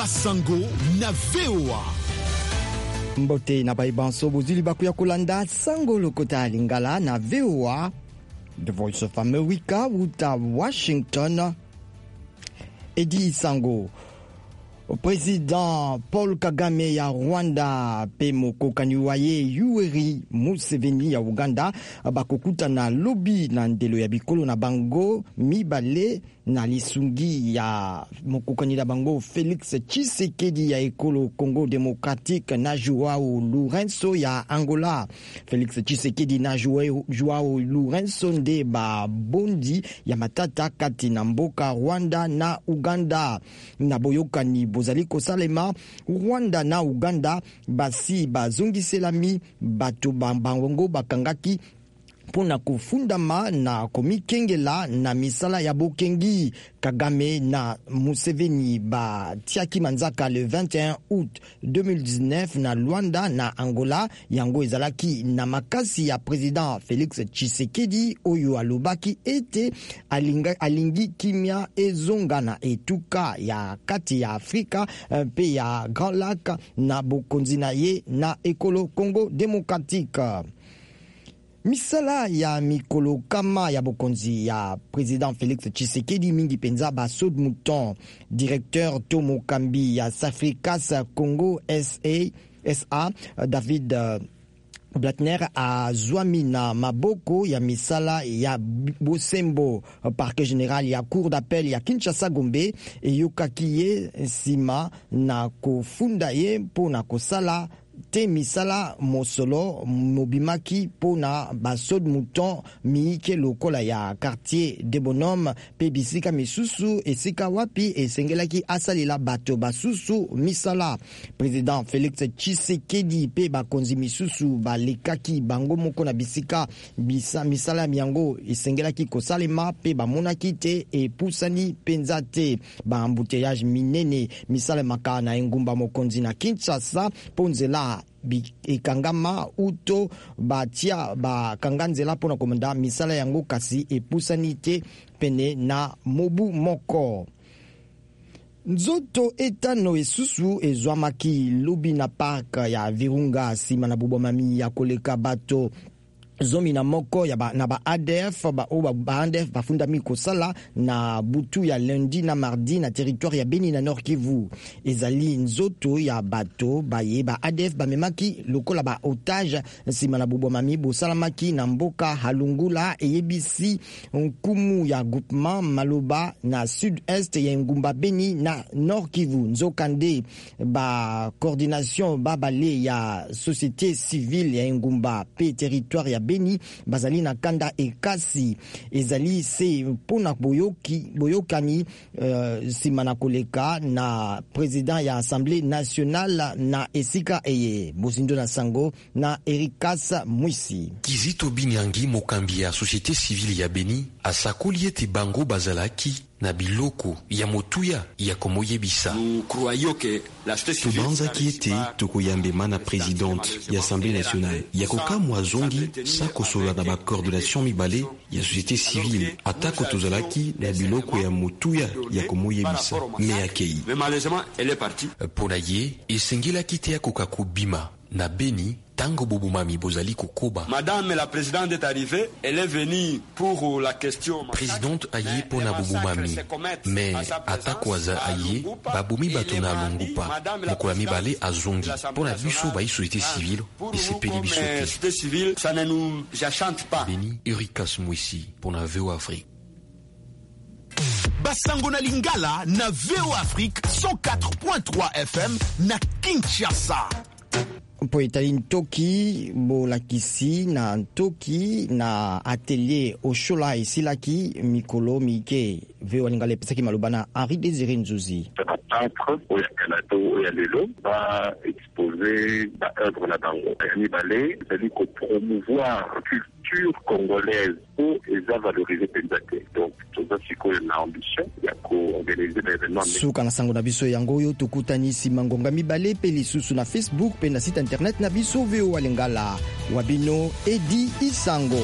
Basango na VOA. Mbote na baye banso bozwi libaku ya kolanda sango lokota ya Lingala na VOA, The Voice of America, wuta Washington. Edi Sango. President Paul Kagame ya Rwanda mpe mokokani wa ye Yoweri Museveni ya Uganda bakokutana lobi na ndelo ya bikolo na bango mibale na lisungi ya mokokani na bango Felix Tshisekedi ya ekolo Congo Democratique na Joao Lourenço ya Angola. Felix Tshisekedi na Joao Lourenço nde babondi ya matata kati na mboka Rwanda na Uganda. Na boyokani bozali kosalema, Rwanda na Uganda basi bazongiselami bato bango bakangaki mpo na kofundama na komikengela na misala ya bokengi. Kagame na Museveni batiaki manzaka le 21 août 2019 na Luanda na Angola. Yango ezalaki na makasi ya president Felix Tshisekedi oyo alobaki ete alingi kimia ezonga na etuka ya kati ya Afrika mpe ya Grand Lac na bokonzi na ye na ekolo Congo Democratique. Misala ya mikolo kama ya bokonzi ya president Felix Tshisekedi, mingi mpenza ba saut de mouton. Directeur to mokambi ya Safricas Congo SA, SA David Blatner azwami na maboko ya misala ya bosembo. Parquet général ya cour d'appel ya Kinshasa Gombe eyokaki ye nsima na kofunda ye mpo na kosala te misala mosolo mobimaki mpo na basaut de mouton miike lokola ya quartier de Bonhomme mpe bisika misusu esika wapi esengelaki asalela bato basusu misala. President Felix Tshisekedi mpe bakonzi misusu balekaki bango moko na bisika misala yango esengelaki kosalema mpe bamonaki te epusani mpenza te. Ba embouteillage minene misalemaka na engumba mokonzi na Kinshasa mpo nzela ekangama uto batia bakanga nzela mpo na komanda misala yango, kasi epusani te pene na mobu moko. Nzoto etano esusu ezwamaki lobi na park ya Virunga nsima na bobomami ya koleka bato 11 ya ba, na ba ADF ba, oyo ba, ba ADF bafundami kosala na butu ya lundi na mardi na territoire ya Beni na Nord Kivu. Ezali nzoto ya bato baye ba ADF bamemaki lokola ba otage nsima na bobomami bosalamaki na mboka Halungula, eyebisi nkumu ya groupement Maloba na sud-est ya engumba Beni na Nord Kivu. Nzokande ba coordination babale ya société civile ya engumba pe territoire ya Beni bazali na kanda ekasi. Ezali se mpona boyokani nsima na koleka na president ya Assemblée nationale na esika eye. Bozindo na sango na Erikas Mwisi. Kizito Binyangi, mokambi ya société civile ya Beni, asakoli ete bango bazalaki na biloko ya motuya ya komoyebisa. Tobanzaki ete tokoyambema na présidente ya Assemblée nationale ya kokamwa azongi sa kosolola na bacoordination mibale ya société civile, atako tozalaki na biloko ya motuya ya komoyebisa, me akei. Mpo na ye, esengelaki te akoka kobima na Beni tango bobomami bozali kokoba. Madame la présidente est arrivée, elle est venue pour la question. Présidente aye mpo na bobomami, me atako aza aye, babomi bato na Alungupa mokolo ya mibale azongi. Mpo na biso bayi société civile, esepeli biso te. Société civile, ça ne nous enchante pas. Beni, Erikas Mwisi mpo na VOA Afrique. Basango na Lingala na VOA Afrique 104.3 FM na Kinshasa. Mpo etali ntoki bolakisi na ntoki na atelier Oshola esilaki mikolo mike, VOA Lingala epesaki maloba na Henri Désiré Nzuzi. Bapeintre oyo ya kala to oyo ya lelo baexpose baœuvre na bango. Ya mibale ezali kopromouvoir culture congolaise po eza valorise mpenza te. Donc toza sikoyo na ambition ya koorganize baévénement. Suka na sango na biso yango oyo. Tokutani nsima ngonga mibale mpe lisusu na Facebook mpe na site internet na biso VOA Lingala. Wabino Edi Isango.